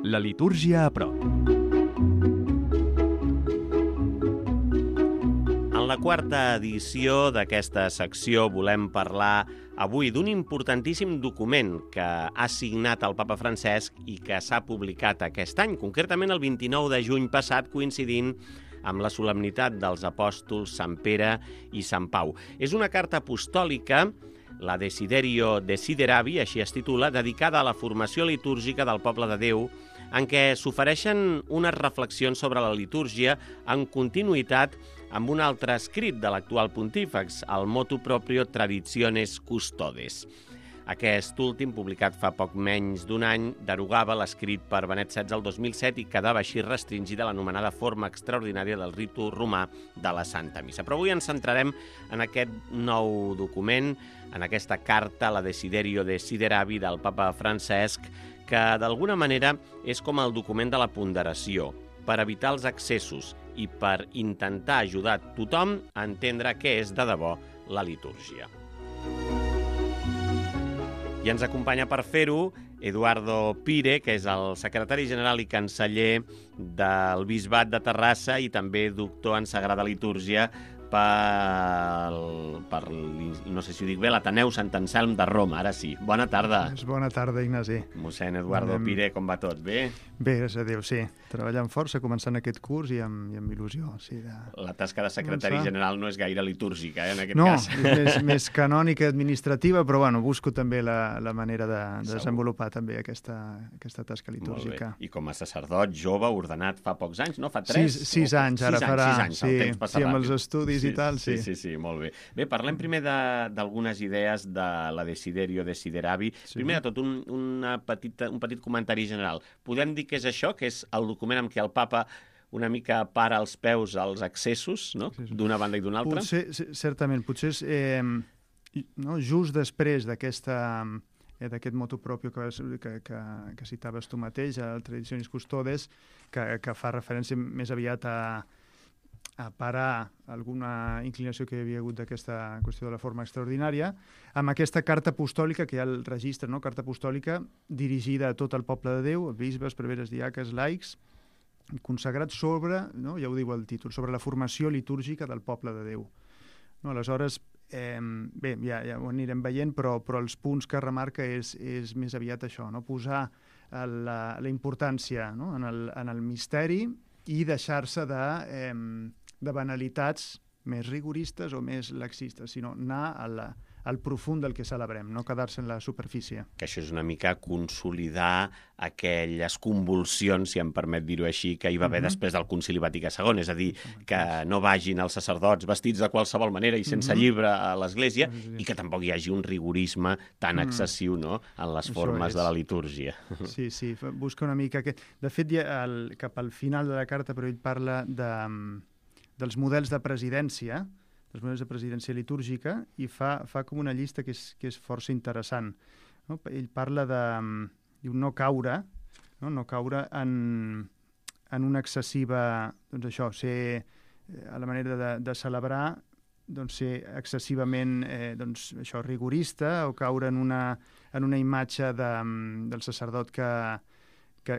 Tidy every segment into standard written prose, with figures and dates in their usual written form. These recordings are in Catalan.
La litúrgia a prop. En la quarta edició d'aquesta secció volem parlar avui d'un importantíssim document que ha signat el papa Francesc i que s'ha publicat aquest any, concretament el 29 de juny passat, coincidint amb la solemnitat dels apòstols Sant Pere i Sant Pau. És una carta apostòlica, la Desiderio Desideravi, així es titula, dedicada a la formació litúrgica del poble de Déu, en què s'ofereixen unes reflexions sobre la litúrgia en continuïtat amb un altre escrit de l'actual pontífex, el Motu Proprio Traditiones Custodes. Aquest últim, publicat fa poc menys d'un any, derogava l'escrit per Benet XVI el 2007 i quedava així restringida l'anomenada forma extraordinària del ritu romà de la Santa Missa. Però avui ens centrarem en aquest nou document, en aquesta carta, la Desiderio Desideravi del papa Francesc, que d'alguna manera és com el document de la ponderació, per evitar els excessos i per intentar ajudar tothom a entendre què és de debò la litúrgia. I ens acompanya per fer-ho Eduardo Pire, que és el secretari general i canceller del Bisbat de Terrassa i també doctor en Sagrada Litúrgia per no sé si ho dic bé, l'Ateneu Sant Anselm de Roma. Ara sí. Bona tarda. Bona tarda, Ignasi. Mossèn Eduardo Pire, com va tot? Bé? Bé, gràcies a Déu, sí. Treballant força, començant aquest curs i amb il·lusió. Sí, La tasca de secretari general no és gaire litúrgica, en aquest cas. No, és més canònica i administrativa, però bueno, busco també la manera de desenvolupar també aquesta tasca litúrgica. I com a sacerdot jove, ordenat fa pocs anys, no? Fa 3? 6 anys, ara farà. 6 anys, el temps passa ràpid. Amb els estudis i tal, sí. Sí, molt bé. Bé, parlem primer d'algunes idees de la Desiderio Desideravi. Primer de tot, un petit comentari general. Podem dir que és això, que és el document amb què el papa una mica para els peus als excessos, no? D'una banda i d'una altra? Certament, potser és just després d'aquest motu proprio que citaves tu mateix, el Traditionis Custodes, que fa referència més aviat a parar alguna inclinació que hi havia hagut d'aquesta qüestió de la forma extraordinària, amb aquesta carta apostòlica, que hi ha el registre, no? Carta apostòlica dirigida a tot el poble de Déu, bisbes, preveres, diaques, laics, consagrats sobre, no? Ja ho diu el títol, sobre la formació litúrgica del poble de Déu. No? Aleshores, bé, ja ho anirem veient, però els punts que remarca és més aviat això, no? Posar la importància, no? en el misteri i deixar-se de banalitats més rigoristes o més laxistes, sinó anar al profund del que celebrem, no quedar-se en la superfície. Que això és una mica consolidar aquelles convulsions, si em permet dir-ho així, que hi va haver després del Concili Vaticà II, és a dir, que no vagin els sacerdots vestits de qualsevol manera i sense llibre a l'església, i que tampoc hi hagi un rigorisme tan excessiu, no?, en les formes de la litúrgia. Sí, busca una mica... De fet, cap al final de la carta, però ell parla dels models de presidència, dels models de presidència litúrgica, i fa com una llista que és força interessant. No? Ell parla de no caure en una excessiva, doncs això, ser a la manera de celebrar, doncs ser excessivament rigorista o caure en una imatge del sacerdot que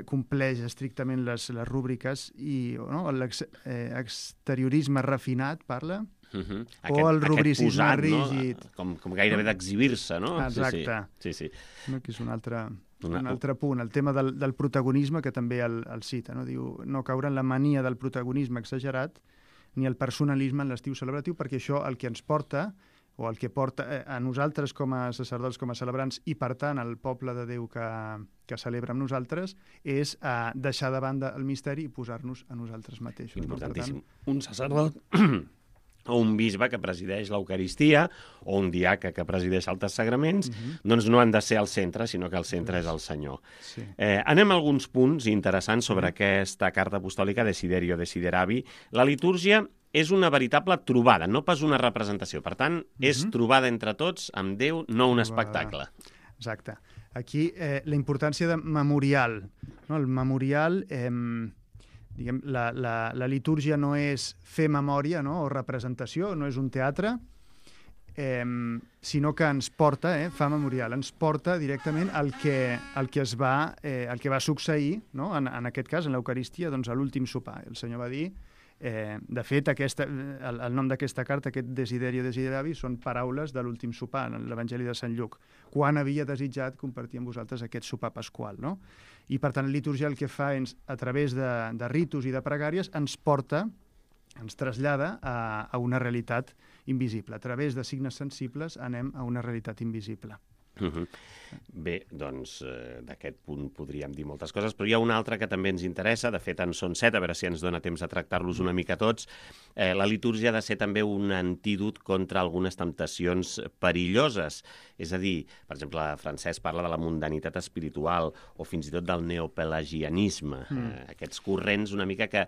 compleix estrictament les rúbriques i l'exteriorisme refinat, parla, o el rubricisme rígid. No? Com gairebé d'exhibir-se, no? Exacte. Sí. Que és un altre punt. El tema del protagonisme, que també el cita, no? Diu, no caure en la mania del protagonisme exagerat ni el personalisme en l'estiu celebratiu, perquè això el que ens porta, o el que porta a nosaltres com a sacerdots, com a celebrants, i per tant al poble de Déu que celebra amb nosaltres, és deixar de banda el misteri i posar-nos a nosaltres mateixos. Importantíssim. Un sacerdot o un bisbe que presideix l'Eucaristia o un diaca que presideix altres sagraments, doncs no han de ser al centre, sinó que el centre és el Senyor. Sí. Anem a alguns punts interessants sobre aquesta carta apostòlica Desiderio Desideravi. La litúrgia és una veritable trobada, no pas una representació. Per tant, és trobada entre tots amb Déu, no un espectacle. Exacte. Aquí la importància de memorial. No? El memorial, la litúrgia no és fer memòria, no? O representació, no és un teatre. sinó que ens porta, fa memorial, ens porta directament el que va succeir, no? En aquest cas, en l'Eucaristia, doncs, a l'últim sopar. El Senyor va dir, de fet, el nom d'aquesta carta, aquest Desiderio Desideravi, són paraules de l'últim sopar, en l'Evangeli de Sant Lluc, quan havia desitjat compartir amb vosaltres aquest sopar pasqual, no? I, per tant, la liturgia el que fa és, a través de ritus i de pregàries, ens trasllada a una realitat invisible. A través de signes sensibles anem a una realitat invisible. Bé, doncs d'aquest punt podríem dir moltes coses, però hi ha una altra que també ens interessa, de fet en són 7, a veure si ens dona temps de tractar-los una mica tots. La litúrgia ha de ser també un antídot contra algunes temptacions perilloses, és a dir, per exemple, Francesc parla de la mundanitat espiritual o fins i tot del neopelagianisme, aquests corrents una mica que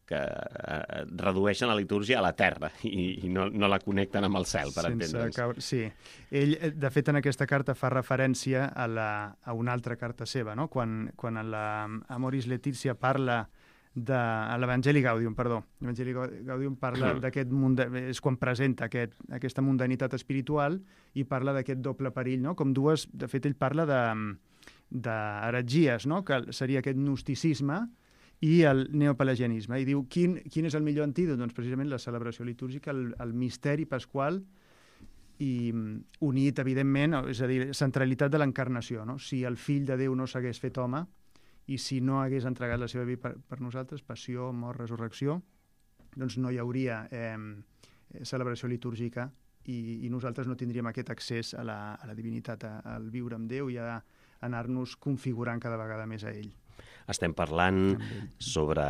redueixen la litúrgia a la terra i no la connecten amb el cel, per entendre'ns. Sí. Ell, de fet, en aquesta carta fa referència a una altra carta seva, no? Quan Amoris Laetitia parla a l'Evangeli Gaudium, l'Evangeli Gaudium parla d'aquest és quan presenta aquesta mundanitat espiritual i parla d'aquest doble perill, no? Com dues, de fet, ell parla d'heretgies, no? Que seria aquest gnosticisme i el neopelagianisme. I diu, quin és el millor antídot? Doncs precisament la celebració litúrgica, el misteri pasqual i unit, evidentment, és a dir, centralitat de l'encarnació, no? Si el fill de Déu no s'hagués fet home i si no hagués entregat la seva vida per nosaltres, passió, mort, resurrecció, doncs no hi hauria celebració litúrgica i nosaltres no tindríem aquest accés a la divinitat, al viure amb Déu i a anar-nos configurant cada vegada més a ell. Estem parlant sobre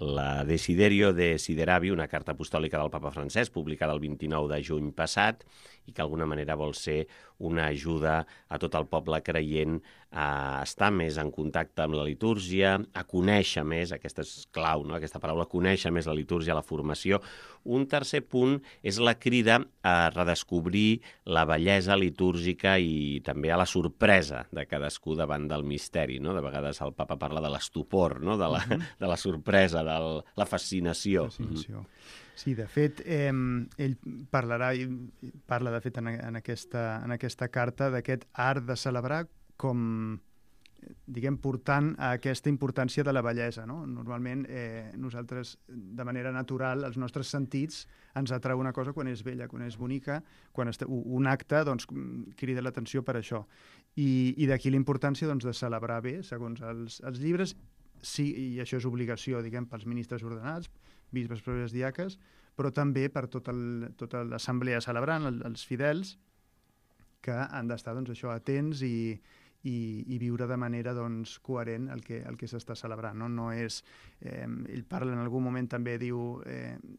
la Desiderio Desideravi, una carta apostòlica del papa Francesc, publicada el 29 de juny passat, i que d'alguna manera vol ser una ajuda a tot el poble creient a estar més en contacte amb la litúrgia, a conèixer més, aquesta és clau, no? Aquesta paraula, conèixer més la litúrgia, la formació. Un tercer punt és la crida a redescobrir la bellesa litúrgica i també a la sorpresa de cadascú davant del misteri, no? De vegades el papa parla de l'estupor, no? De la sorpresa, de la fascinació. Sí, de fet, ell parla de fet en aquesta carta d'aquest art de celebrar com, diguem, portant a aquesta importància de la bellesa, no? Normalment nosaltres, de manera natural, els nostres sentits ens atrau una cosa quan és bella, quan és bonica, quan un acte doncs, crida l'atenció per això. I d'aquí la importància doncs, de celebrar bé, segons els llibres, sí, i això és obligació, diguem, pels ministres ordenats, bisbes, prores, diaques, però també per tota l'assemblea celebrant, els fidels, que han d'estar doncs, això atents i viure de manera doncs, coherent el que s'està celebrant. No és, ell parla en algun moment també, diu,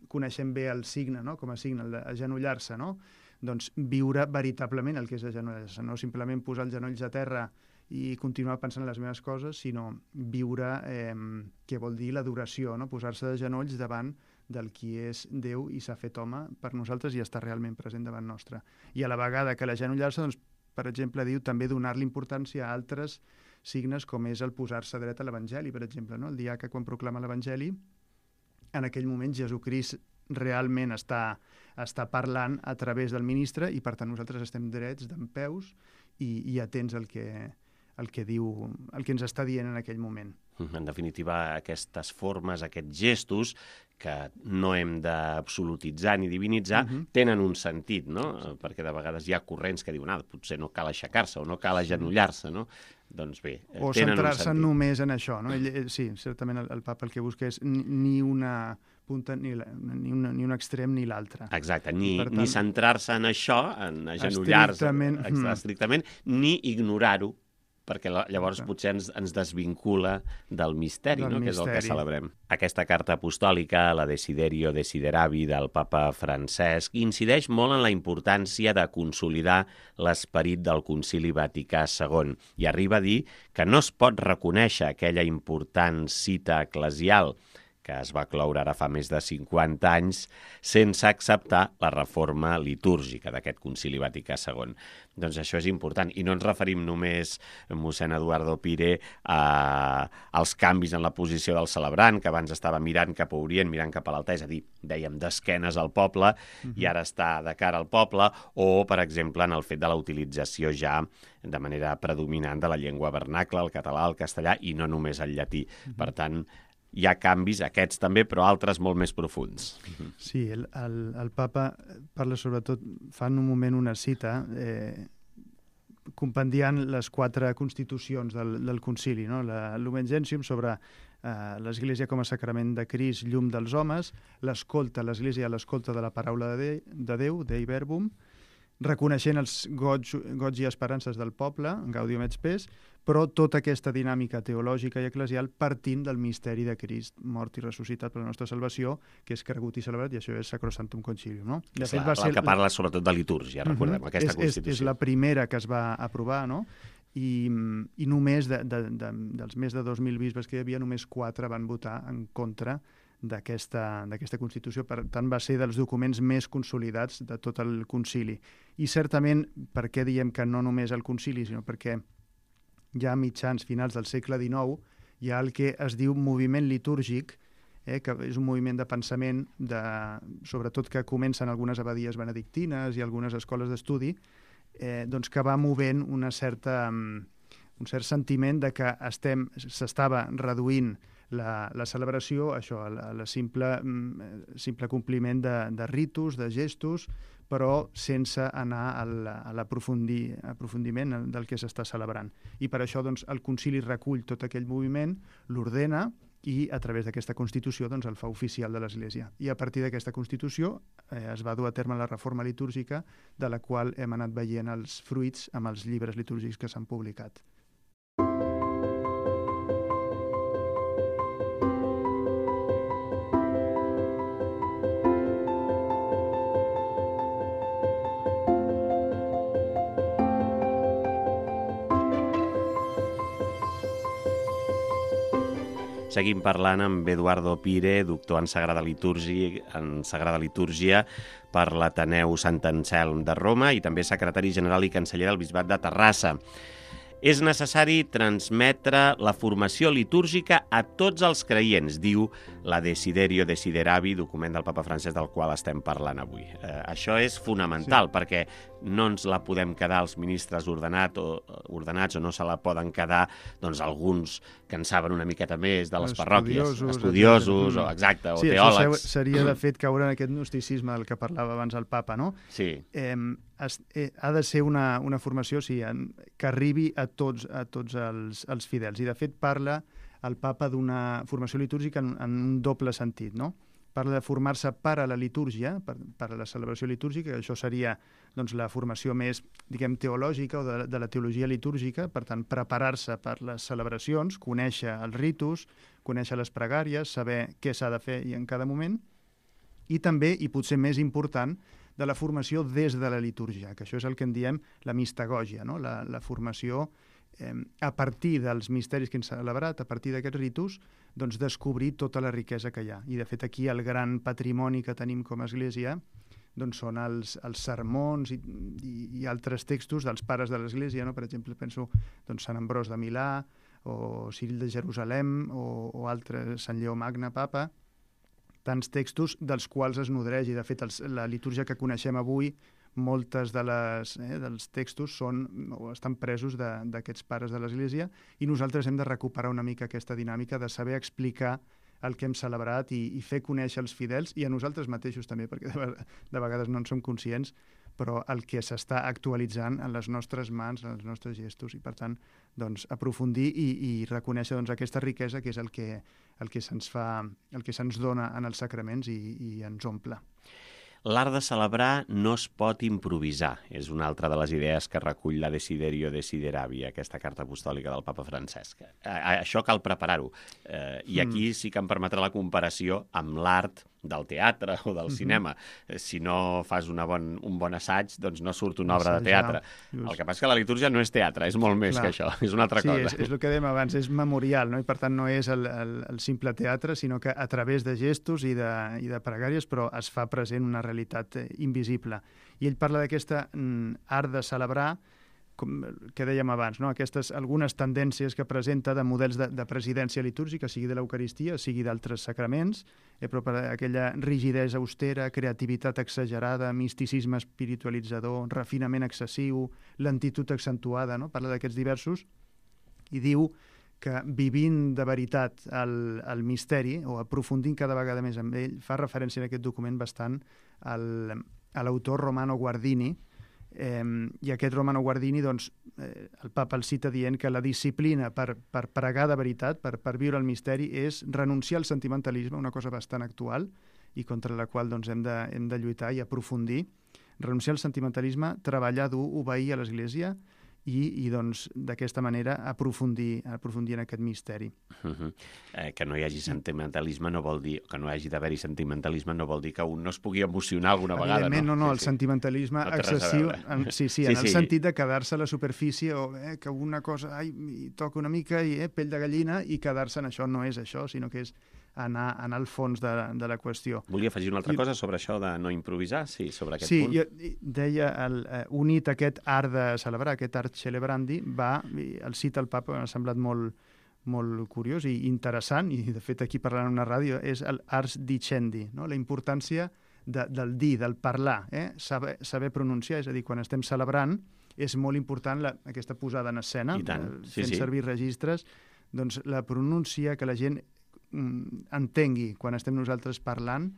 coneixem bé el signe, no? Com a signe, agenollar-se, no? Doncs viure veritablement el que és agenollar-se, no simplement posar els genolls a terra i continuar pensant en les meves coses, sinó viure què vol dir l'adoració, no? Posar-se de genolls davant del qui és Déu i s'ha fet home per nosaltres i està realment present davant nostre. I a la vegada que l'agenollar-se, doncs, per exemple, diu també donar-li importància a altres signes com és el posar-se dret a l'Evangeli, per exemple, no? El diaca, quan proclama l'Evangeli, en aquell moment Jesucrist realment està parlant a través del ministre i, per tant, nosaltres estem drets dempeus i atents al que diu, el que ens està dient en aquell moment. En definitiva, aquestes formes, aquests gestos, que no hem d'absolutitzar ni divinitzar, tenen un sentit, no? Perquè de vegades hi ha corrents que diuen potser no cal aixecar-se o no cal agenollar-se, no? Doncs bé, o centrar-se només en això, no? Sí, certament el papa el que busca és ni una punta, ni un extrem ni l'altre. Exacte, ni centrar-se en això, en agenollar-se estrictament, ni ignorar-ho, perquè llavors potser ens desvincula del misteri, no? Que és el que celebrem. Aquesta carta apostòlica, la Desiderio Desideravi del papa Francesc, incideix molt en la importància de consolidar l'esperit del Concili Vaticà II i arriba a dir que no es pot reconèixer aquella important cita eclesial que es va cloure ara fa més de 50 anys, sense acceptar la reforma litúrgica d'aquest Concili Vaticà II. Doncs això és important. I no ens referim només, mossèn Eduardo Pire, als canvis en la posició del celebrant, que abans estava mirant cap a Orient, mirant cap a l'altar, és a dir, dèiem d'esquenes al poble, i ara està de cara al poble, o, per exemple, en el fet de la utilització ja de manera predominant de la llengua vernacla, el català, el castellà, i no només el llatí. Per tant, hi ha canvis, aquests també, però altres molt més profunds. Sí, el papa parla sobretot, fa en un moment una cita, compendiant les 4 constitucions del concili, no? Lumen Gentium sobre l'Església com a sacrament de Crist, llum dels homes, l'Església a l'escolta de la paraula de Déu, Dei Verbum, reconeixent els goig i esperances del poble, Gaudium et Spes, però tota aquesta dinàmica teològica i eclesial partint del misteri de Crist, mort i ressuscitat per la nostra salvació, que és cregut i celebrat, i això és Sacrosanctum Concilium. No? De fet, va ser el que parla sobretot de litúrgia, recordem, aquesta Constitució. És la primera que es va aprovar, no? I només dels més de 2.000 bisbes que hi havia, només 4 van votar en contra d'aquesta Constitució. Per tant, va ser dels documents més consolidats de tot el concili. I certament, per què diem que no només el concili, sinó perquè ja a mitjans, finals del segle XIX, hi ha el que es diu moviment litúrgic, que és un moviment de pensament, sobretot que comencen algunes abadies benedictines i algunes escoles d'estudi, doncs que va movent un cert sentiment de que s'estava reduint la celebració, això, el simple compliment de ritus, de gestos, però sense anar a l'aprofundiment del que s'està celebrant. I per això doncs, el concili recull tot aquell moviment, l'ordena i a través d'aquesta Constitució doncs, el fa oficial de l'Església. I a partir d'aquesta Constitució es va dur a terme la reforma litúrgica, de la qual hem anat veient els fruits amb els llibres litúrgics que s'han publicat. Seguim parlant amb Eduardo Pire, doctor en Sagrada Litúrgia per l'Ateneu Sant Anselm de Roma i també secretari general i canceller del Bisbat de Terrassa. És necessari transmetre la formació litúrgica a tots els creients, diu la Desiderio Desideravi, document del papa Francesc del qual estem parlant avui. Això és fonamental, perquè no ens la podem quedar els ministres ordenats o no se la poden quedar doncs, alguns que en saben una miqueta més de les parròquies, estudiosos o teòlegs. Això seria, de fet, caure en aquest gnosticisme del que parlava abans el papa, no? Sí. Ha de ser una formació que arribi a tots els fidels. I, de fet, parla el papa d'una formació litúrgica en un doble sentit, no? Parla de formar-se per a la litúrgia, per a la celebració litúrgica, que això seria doncs, la formació més, diguem, teològica o de la teologia litúrgica, per tant, preparar-se per les celebracions, conèixer els ritus, conèixer les pregàries, saber què s'ha de fer i en cada moment, i també, i potser més important, de la formació des de la litúrgia, que això és el que en diem la mistagògia, no? La formació a partir dels misteris que hem celebrat, a partir d'aquests ritus, doncs descobrir tota la riquesa que hi ha. I, de fet, aquí el gran patrimoni que tenim com a Església doncs són els sermons i altres textos dels pares de l'Església, no? Per exemple, penso doncs, Sant Ambròs de Milà, o Ciril de Jerusalem, o altres, Sant Lleó Magne, Papa, tants textos dels quals es nodreix. I, de fet, la litúrgia que coneixem avui, moltes dels textos estan presos d'aquests pares de l'Església, i nosaltres hem de recuperar una mica aquesta dinàmica de saber explicar el que hem celebrat i fer conèixer els fidels, i a nosaltres mateixos també, perquè de vegades no en som conscients, però el que s'està actualitzant en les nostres mans, en els nostres gestos, i per tant doncs, aprofundir i reconèixer doncs, aquesta riquesa que és el que se'ns dona en els sacraments i ens omple. L'art de celebrar no es pot improvisar. És una altra de les idees que recull la Desiderio Desideravi, aquesta carta apostòlica del papa Francesc. Això cal preparar-ho. I aquí sí que em permetrà la comparació amb l'art del teatre o del cinema. Si no fas un bon assaig, doncs no surt una obra de teatre. El que passa és que la litúrgia no és teatre, és molt més que això, és una altra cosa. Sí, és el que dèiem abans, és memorial, no? I per tant no és el simple teatre, sinó que a través de gestos i de pregàries, però es fa present una realitat invisible. I ell parla d'aquesta art de celebrar, com que dèiem abans, no? Algunes tendències que presenta de models de presidència litúrgica, sigui de l'Eucaristia, sigui d'altres sacraments, però per aquella rigidesa austera, creativitat exagerada, misticisme espiritualitzador, refinament excessiu, lentitud accentuada, no? Parla d'aquests diversos i diu que vivint de veritat el misteri, o aprofundint cada vegada més amb ell, fa referència en aquest document bastant a l'autor Romano Guardini, i aquest Romano Guardini, doncs, el papa el cita dient que la disciplina per pregar de veritat, per viure el misteri, és renunciar al sentimentalisme, una cosa bastant actual i contra la qual doncs, hem de lluitar i aprofundir. Renunciar al sentimentalisme, treballar dur, obeir a l'Església i doncs, d'aquesta manera aprofundir en aquest misteri. Que no hi hagi sentimentalisme no vol dir, que no hagi d'haver-hi sentimentalisme no vol dir que un no es pugui emocionar alguna vegada, no? No, el sentimentalisme excessiu, en el sentit de quedar-se a la superfície o que una cosa, toca una mica i pell de gallina i quedar-se en això, no és això, sinó que és anar al fons de la qüestió. Volia afegir una altra cosa sobre això de no improvisar, sobre aquest punt. Sí, jo deia, unit aquest art de celebrar, aquest art celebrandi, el cita el papa, m'ha semblat molt curiós i interessant, i de fet aquí parlant en una ràdio, és l'ars dicendi, no? La importància del dir, del parlar, saber pronunciar, és a dir, quan estem celebrant, és molt important aquesta posada en escena, fent servir registres, doncs la pronúncia, que la gent entengui quan estem nosaltres parlant,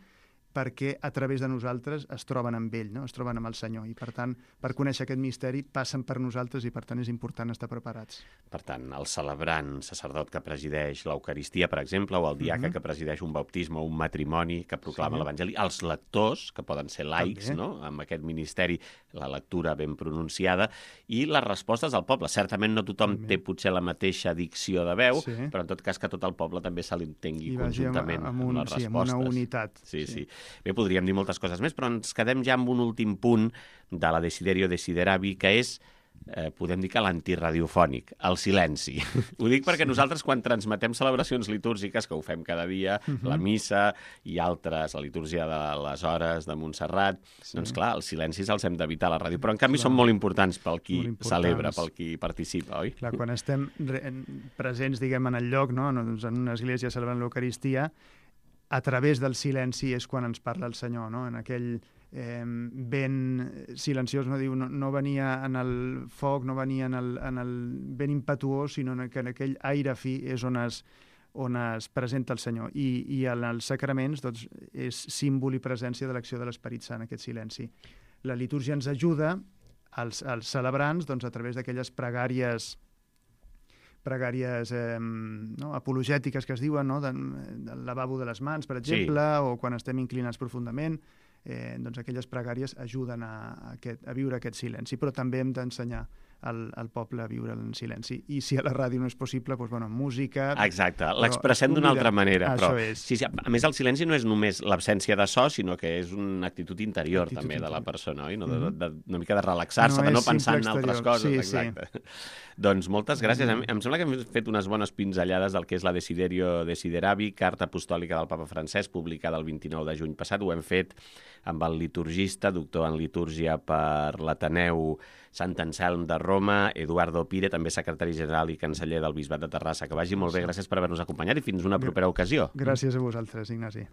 perquè a través de nosaltres es troben amb ell, no? Es troben amb el Senyor, i per tant, per conèixer aquest misteri, passen per nosaltres i per tant és important estar preparats. Per tant, el celebrant, sacerdot que presideix l'Eucaristia, per exemple, o el diaca que presideix un bautisme o un matrimoni que proclama l'Evangeli, els lectors, que poden ser laics, no? Amb aquest ministeri, la lectura ben pronunciada, i les respostes del poble. Certament no tothom té potser la mateixa dicció de veu, però en tot cas que tot el poble també se l'entengui conjuntament amb les respostes. Amb una unitat. Sí. Bé, podríem dir moltes coses més, però ens quedem ja amb un últim punt de la Desiderio Desideravi, que és, podem dir que l'antiradiofònic, el silenci. Ho dic perquè nosaltres, quan transmetem celebracions litúrgiques, que ho fem cada dia, la missa i altres, la litúrgia de les hores de Montserrat, doncs clar, els silencis els hem d'evitar a la ràdio, però en canvi són molt importants pel qui celebra, pel qui participa, oi? Clar, quan estem presents, diguem, en el lloc, no? En una església celebrant l'Eucaristia, a través del silenci és quan ens parla el Senyor, no? En aquell vent silenciós, no diu, no venia en el foc, no venia en el vent impetuós, sinó que en aquell aire fi és on es presenta el Senyor. I en els sacraments doncs, és símbol i presència de l'acció de l'Esperit Sant, aquest silenci. La litúrgia ens ajuda als celebrants doncs, a través d'aquelles pregàries apologètiques que es diuen, no? Del lavabo de les mans, per exemple, o quan estem inclinats profundament, doncs aquelles pregàries ajuden a viure aquest silenci, però també hem d'ensenyar al poble a viure en silenci. I si a la ràdio no és possible, doncs, música... Exacte, l'expressem d'una altra manera. Però, sí, a més, el silenci no és només l'absència de so, sinó que és una actitud interior també de la persona, oi? Una mica de relaxar-se, de no pensar en altres coses. Exacte. Doncs moltes gràcies. Em sembla que hem fet unes bones pinzellades del que és la Desiderio Desideravi, carta apostòlica del papa Francesc, publicada el 29 de juny passat. Ho hem fet amb el liturgista, doctor en litúrgia per l'Ateneu Sant Anselm de Roma, Eduardo Pire, també secretari general i canceller del Bisbat de Terrassa. Que vagi molt bé, gràcies per haver-nos acompanyat i fins una propera ocasió. Gràcies a vosaltres, Ignasi.